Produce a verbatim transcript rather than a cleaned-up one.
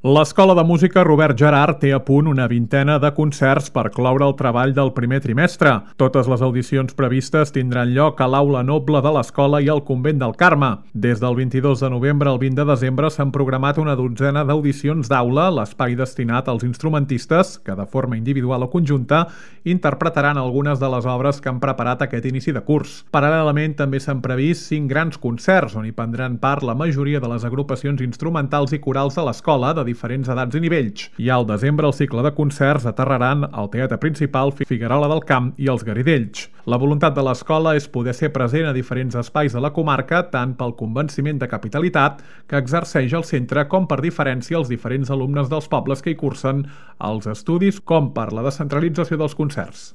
L'Escola de Música Robert Gerhard té a punt una vintena de concerts per cloure el treball del primer trimestre. Totes les audicions previstes tindran lloc a l'Aula Noble de l'Escola i al Convent del Carme. Des del vint-i-dos de novembre al vint de desembre s'han programat una dotzena d'audicions d'aula, l'espai destinat als instrumentistes, que de forma individual o conjunta interpretaran algunes de les obres que han preparat aquest inici de curs. Paral·lelament també s'han previst cinc grans concerts, on hi prendran part la majoria de les agrupacions instrumentals i corals de l'escola de diferents edats i nivells. I al desembre el cicle de concerts aterraran al Teatre Principal, Figuerola del Camp i els Garidells. La voluntat de l'escola és poder ser present a diferents espais de la comarca, tant pel convenciment de capitalitat que exerceix el centre com per diferència als diferents alumnes dels pobles que hi cursen els estudis, com per la descentralització dels concerts.